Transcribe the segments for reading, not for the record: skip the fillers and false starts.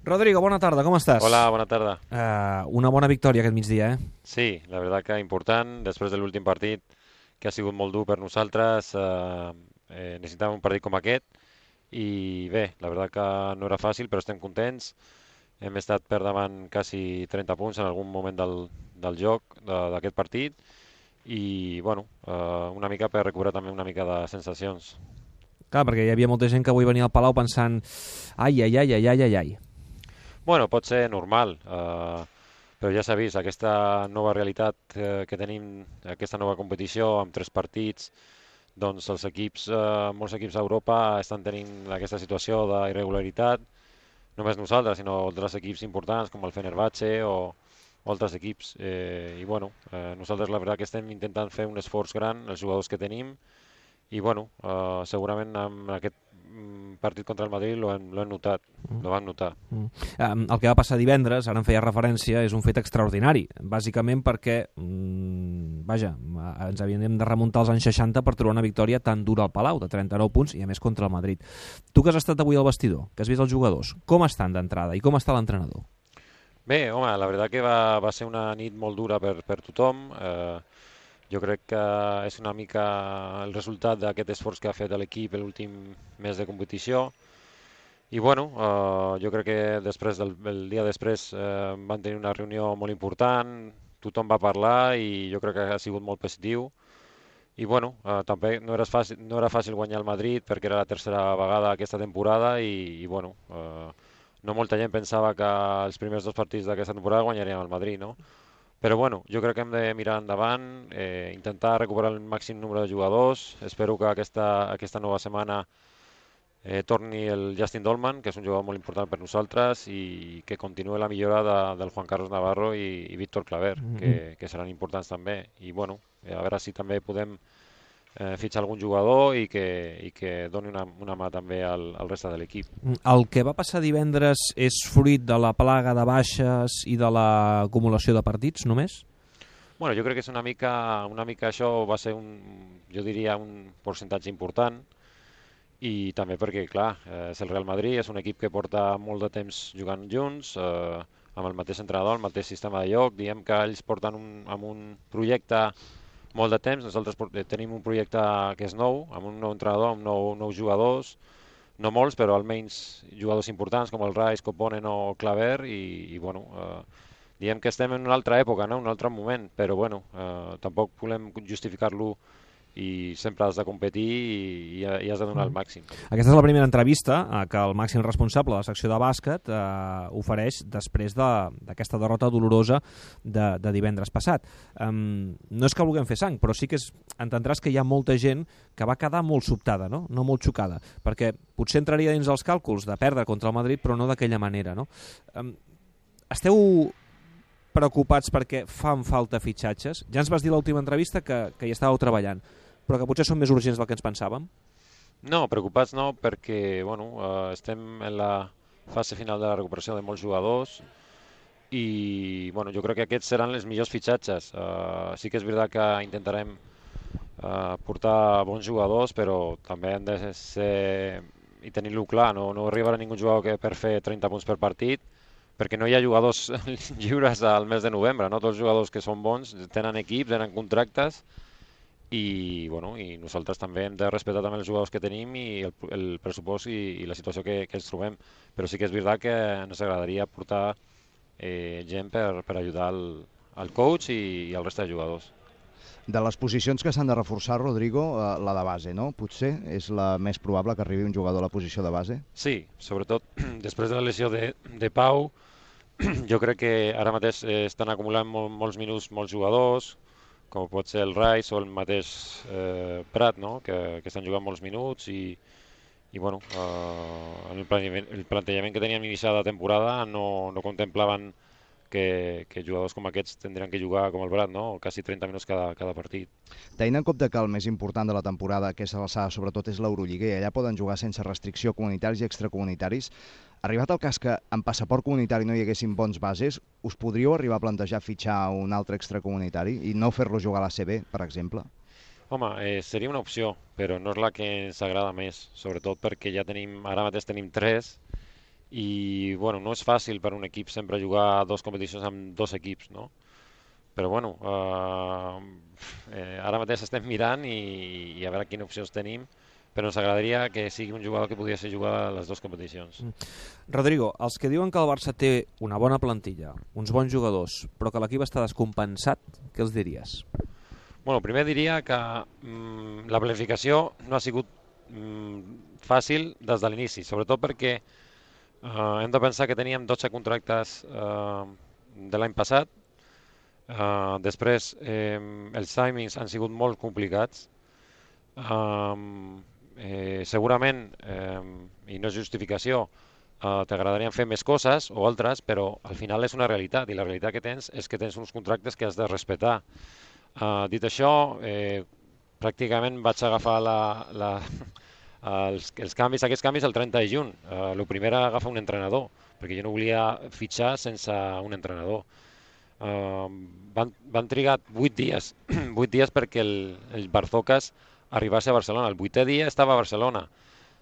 Rodrigo, bona tarda, com estàs? Hola, bona tarda. Una bona victòria aquest migdia, eh? Sí, la veritat que important, després de l'últim partit, que ha sigut molt dur per nosaltres, necessitàvem un partit com aquest, i bé, la veritat que no era fàcil, però estem contents. Hem estat per davant quasi 30 punts en algun moment del joc d'aquest partit, i bueno, una mica per recuperar també una mica de sensacions. Clar, perquè hi havia molta gent que avui venia al Palau pensant ai, ai, ai, ai, ai, ai, ai. Bueno, pot ser normal, però ja s'ha vist aquesta nova realitat que tenim, aquesta nova competició amb 3 partits, doncs els equips, molts equips d'Europa estan tenint aquesta situació d'irregularitat, no només nosaltres, sinó altres equips importants com el Fenerbahçe o altres equips. I bueno, nosaltres la veritat que estem intentant fer un esforç gran, els jugadors que tenim, i bueno, segurament amb aquest partit contra el Madrid lo hem notat, lo vam notar. El que va passar divendres, ara en feia referència, és un fet extraordinari, bàsicament perquè ens havíem de remuntar als anys 60 per trobar una victòria tan dura al Palau, de 39 punts, i a més contra el Madrid. Tu que has estat avui al vestidor, que has vist els jugadors, com estan d'entrada i com està l'entrenador? Bé, home, la veritat que va ser una nit molt dura per tothom. Jo crec que és una mica el resultat d'aquest esforç que ha fet l'equip l'últim mes de competició. I bueno, jo crec que el dia després van tenir una reunió molt important, tothom va parlar i jo crec que ha sigut molt positiu. I bueno, també no era fàcil guanyar el Madrid perquè era la tercera vegada aquesta temporada i bueno, no molta gent pensava que els primers 2 partits d'aquesta temporada guanyaríem el Madrid, no? Però bueno, jo crec que hem de mirar endavant, intentar recuperar el màxim número de jugadors. Espero que aquesta nova setmana torni el Justin Dolman, que és un jugador molt important per nosaltres, i que continuï la millora del Juan Carlos Navarro i Víctor Claver, que seran importants també. I bueno, a veure si també podem fitxar algun jugador i que doni una mà també al reste de l'equip. El que va passar divendres és fruit de la plaga de baixes i de l'acumulació de partits, només? Bueno, jo crec que és una mica això va ser jo diria un percentatge important, i també perquè, clar, és el Real Madrid, és un equip que porta molt de temps jugant junts, amb el mateix entrenador, el mateix sistema de joc. Diem que ells porten amb un projecte molt de temps, nosaltres tenim un projecte que és nou, amb un nou entrenador, amb nous jugadors, no molts, però almenys jugadors importants com el Rice, Koponen o Claver, i bueno, diem que estem en una altra època, no? Un altre moment, però bueno, tampoc volem justificar-lo, i sempre has de competir i has de donar el màxim. Aquesta és la primera entrevista que el màxim responsable de la secció de bàsquet ofereix després d'aquesta derrota dolorosa de divendres passat. No és que vulguem fer sang, però sí que entendràs que hi ha molta gent que va quedar molt sobtada, no molt xocada, perquè potser entraria dins els càlculs de perdre contra el Madrid, però no d'aquella manera, no? Esteu preocupats perquè fan falta fitxatges? Ja ens vas dir a l'última entrevista que hi estàveu treballant, però que potser són més urgents del que ens pensàvem? No, preocupats no, perquè bueno, estem en la fase final de la recuperació de molts jugadors i bueno, jo crec que aquests seran els millors fitxatges. Sí que és veritat que intentarem portar bons jugadors, però també han de ser i tenir-lo clar, no arribarà ningú jugador per fer 30 punts per partit, perquè no hi ha jugadors lliures al mes de novembre, no? Tots els jugadors que són bons tenen equips, tenen contractes, i bueno, i nosaltres també hem de respectar també els jugadors que tenim i el pressupost i la situació que ens trobem, però sí que és veritat que ens agradaria portar gent per ajudar al coach i al resta de jugadors. De les posicions que s'han de reforçar, Rodrigo, la de base, no? Potser és la més probable que arribi un jugador a la posició de base? Sí, sobretot després de la lesió de Pau, jo crec que ara mateix estan acumulant molts minuts molts jugadors, com pot ser el Rice o el mateix Prat, no? que estan jugant molts minuts i bueno, el plantejament que teníem iniciat la temporada no contemplaven que jugadors com aquests tindran que jugar com el Prat, no? Quasi 30 minuts cada partit. Tenint en compte que el més important de la temporada, que és l'alçada sobretot, és l'Eurolliga, i allà poden jugar sense restricció comunitaris i extracomunitaris, arribat el cas que en passaport comunitari no hi haguessin bons bases, us podríeu arribar a plantejar fitxar un altre extracomunitari i no fer-lo jugar a la CB, per exemple? Home, seria una opció, però no és la que ens agrada més, sobretot perquè ara mateix tenim 3 i bueno, no és fàcil per un equip sempre jugar dues competicions amb dos equips, no? Però bueno, ara mateix estem mirant i a veure quines opcions tenim, però ens agradaria que sigui un jugador que podia ser jugar a les dues competicions. Rodrigo, els que diuen que el Barça té una bona plantilla, uns bons jugadors, però que l'equip està descompensat, què els diries? Bueno, primer diria que la planificació no ha sigut fàcil des de l'inici, sobretot perquè hem de pensar que teníem 12 contractes de l'any passat. Després els timings han sigut molt complicats. Segurament, i no és justificació, t'agradarien fer més coses o altres, però al final és una realitat, i la realitat que tens és que tens uns contractes que has de respectar. Dit això, pràcticament vaig agafar aquests canvis el 30 de juny. El primer era agafar un entrenador, perquè jo no volia fitxar sense un entrenador. Van trigar 8 dies, 8 dies perquè el Barzokas arribés a Barcelona. El 8è dia estava a Barcelona.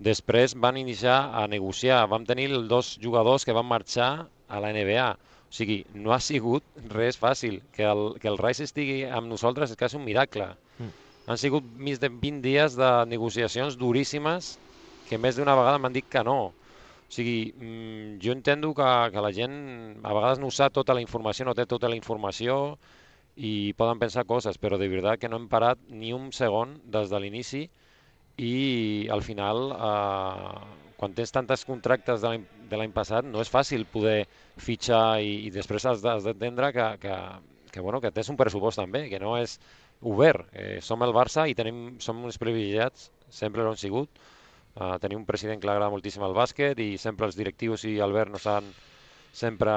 Després van iniciar a negociar. Vam tenir els 2 jugadors que van marxar a la NBA. O sigui, no ha sigut res fàcil. Que el Rice estigui amb nosaltres és quasi un miracle. Han sigut més de 20 dies de negociacions duríssimes que més d'una vegada m'han dit que no. O sigui, jo entendo que la gent a vegades no sap tota la informació, no té tota la informació i poden pensar coses, però de veritat que no hem parat ni un segon des de l'inici i al final, quan tens tantes contractes de l'any passat, no és fàcil poder fitxar i després has d'entendre que tens un pressupost també, que no és obert. Som el Barça i som uns privilegiats, sempre l'hem sigut. Tenim un president que l'agrada moltíssim al bàsquet i sempre els directius i Albert nos han sempre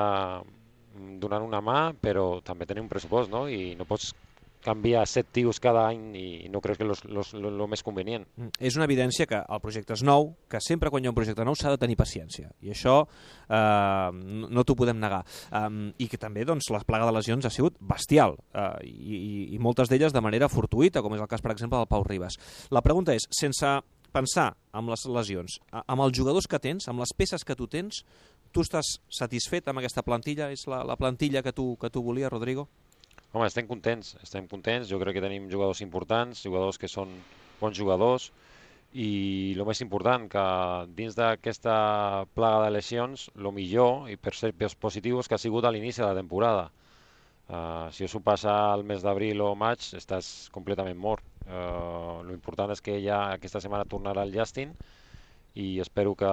donant una mà, però també tenim un pressupost, no? I no pots canviar 7 tios cada any i no crec que és el més convenient. És una evidència que el projecte és nou, que sempre quan hi ha un projecte nou s'ha de tenir paciència, i això no t'ho podem negar. I que també doncs, la plaga de lesions ha sigut bestial, i moltes d'elles de manera fortuïta, com és el cas, per exemple, del Pau Ribas. La pregunta és, sense pensar en les lesions, amb els jugadors que tens, amb les peces que tu tens, tu estàs satisfet amb aquesta plantilla? És la plantilla que tu volies, Rodrigo? Home, estem contents. Jo crec que tenim jugadors importants, jugadors que són bons jugadors, i el més important, que dins d'aquesta plaga de lesions, el millor, i per ser positiu, és que ha sigut a l'inici de la temporada. Si això passa al mes d'abril o maig, estàs completament mort. Lo important és que ja aquesta setmana tornarà el Justin i espero que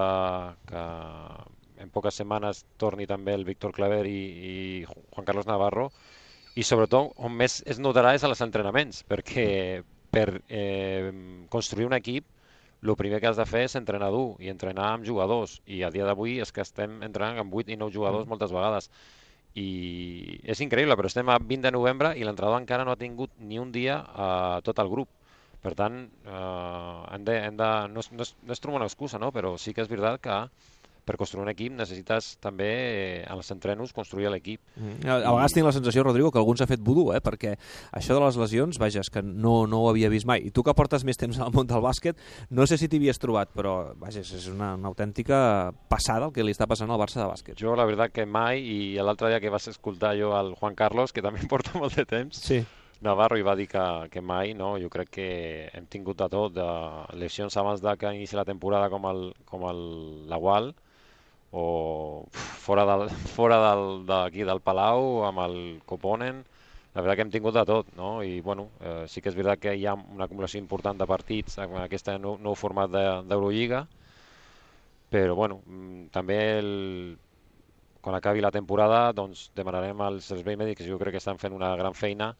en poques setmanes torni també el Víctor Claver i Juan Carlos Navarro, i sobretot on més es notarà és als entrenaments, perquè per construir un equip el primer que has de fer és entrenar dur i entrenar amb jugadors, i a dia d'avui és que estem entrenant amb 8 i 9 jugadors moltes vegades, i és increïble, però estem a 20 de novembre i l'entrenador encara no ha tingut ni un dia a tot el grup. Per tant, no és trobar una excusa, no? Però sí que és veritat que per construir un equip necessites també en els entrenos construir l'equip. A vegades tinc la sensació, Rodrigo, que algú ens ha fet vudú, perquè això de les lesions, vaja, és que no ho havia vist mai. I tu que portes més temps al món del bàsquet, no sé si t'hi havies trobat, però vaja, és una autèntica passada el que li està passant al Barça de bàsquet. Jo la veritat que mai, i l'altre dia que vas escoltar jo al Juan Carlos, que també porta molt de temps, sí. Navarro, i va dir que mai, no? Jo crec que hem tingut de tot, de lesions abans que inici la temporada com la Gual, o fora d'aquí del Palau amb el Koponen. La veritat que hem tingut de tot, no? I bueno, sí que és veritat que hi ha una acumulació important de partits en aquest nou format d'Eurolliga, però bueno, també quan acabi la temporada doncs demanarem als serveis mèdics, que jo crec que estan fent una gran feina,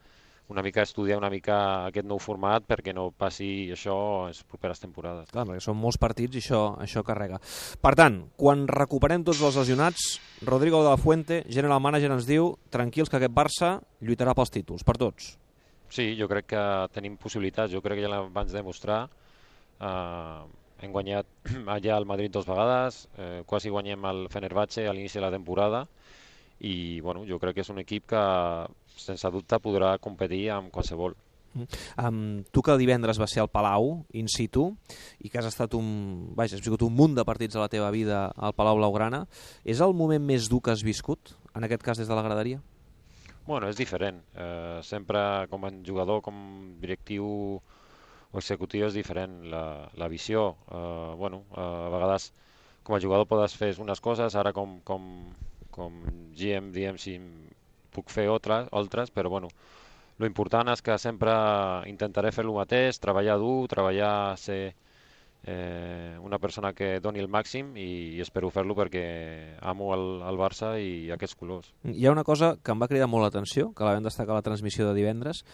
una mica estudiar una mica aquest nou format perquè no passi això en les properes temporades. Clar, perquè són molts partits i això carrega. Per tant, quan recuperem tots els lesionats, Rodrigo de la Fuente, general manager, ens diu tranquils que aquest Barça lluitarà pels títols, per tots. Sí, jo crec que tenim possibilitats, jo crec que ja l'abans de demostrar. Hem guanyat allà al Madrid 2 vegades, quasi guanyem el Fenerbahçe a l'inici de la temporada, i bueno, jo crec que és un equip que sense dubte podrà competir amb qualsevol. Tu que divendres va ser al Palau, in situ, i que has estat has viscut un munt de partits a la teva vida al Palau Blaugrana, és el moment més dur que has viscut, en aquest cas des de la graderia? Bueno, és diferent. Sempre com a jugador, com directiu o executiu és diferent la visió. A vegades com a jugador podes fer unes coses, ara com GM, diem si puc fer altres, però bueno, lo important és que sempre intentaré fer el mateix, treballar dur, ser una persona que doni el màxim i espero fer-lo perquè amo el Barça i aquests colors. Hi ha una cosa que em va cridar molt l'atenció, que la vam destacar a la transmissió de divendres.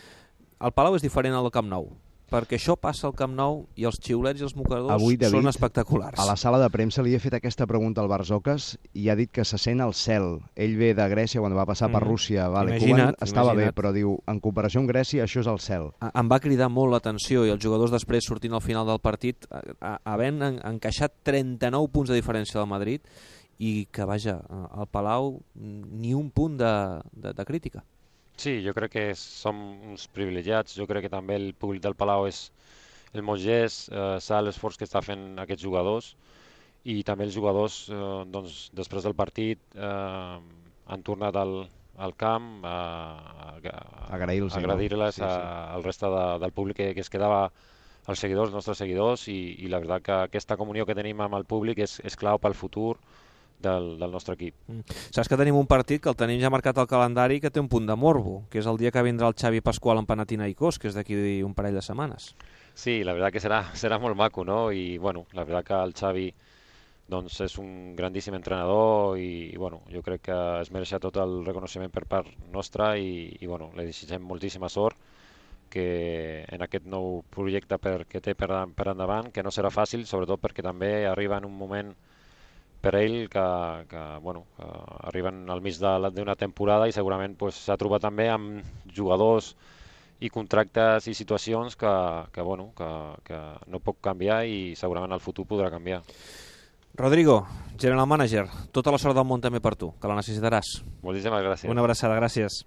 El Palau és diferent al Camp Nou, perquè això passa al Camp Nou i els xiulets i els mocadors avui, David, són espectaculars. A la sala de premsa li he fet aquesta pregunta al Barzocas i ha dit que se sent al cel. Ell ve de Grècia, quan va passar per Rússia, Koeman estava bé, però diu, en comparació amb Grècia, això és el cel. Em va cridar molt l'atenció i els jugadors després sortint al final del partit havent encaixat 39 punts de diferència del Madrid i que, vaja, al Palau ni un punt de crítica. Sí, jo crec que som uns privilegiats, jo crec que també el públic del Palau és el Mogès, sap l'esforç que està fent aquests jugadors i també els jugadors després del partit han tornat al camp a agrair-les al reste del públic que es quedava, els seguidors, els nostres seguidors, i la veritat que aquesta comunió que tenim amb el públic és clau pel futur del nostre equip. Saps que tenim un partit que el tenim ja marcat al calendari que té un punt de morbo, que és el dia que vindrà el Xavi Pascual en Panathinaikos, que és d'aquí un parell de setmanes. Sí, la veritat que serà molt maco, no? I bueno, la veritat que el Xavi doncs, és un grandíssim entrenador i bueno, jo crec que es mereix tot el reconeixement per part nostra i bueno, li desitgem moltíssima sort que en aquest nou projecte que té per endavant, que no serà fàcil, sobretot perquè també arriba en un moment per ell que arriben al mig d'una temporada i segurament s'ha trobat també amb jugadors i contractes i situacions que no pot canviar i segurament al futur podrà canviar. Rodrigo, General Manager, tota la sort del món també per tu, que la necessitaràs. Moltíssimes gràcies. Una abraçada, gràcies.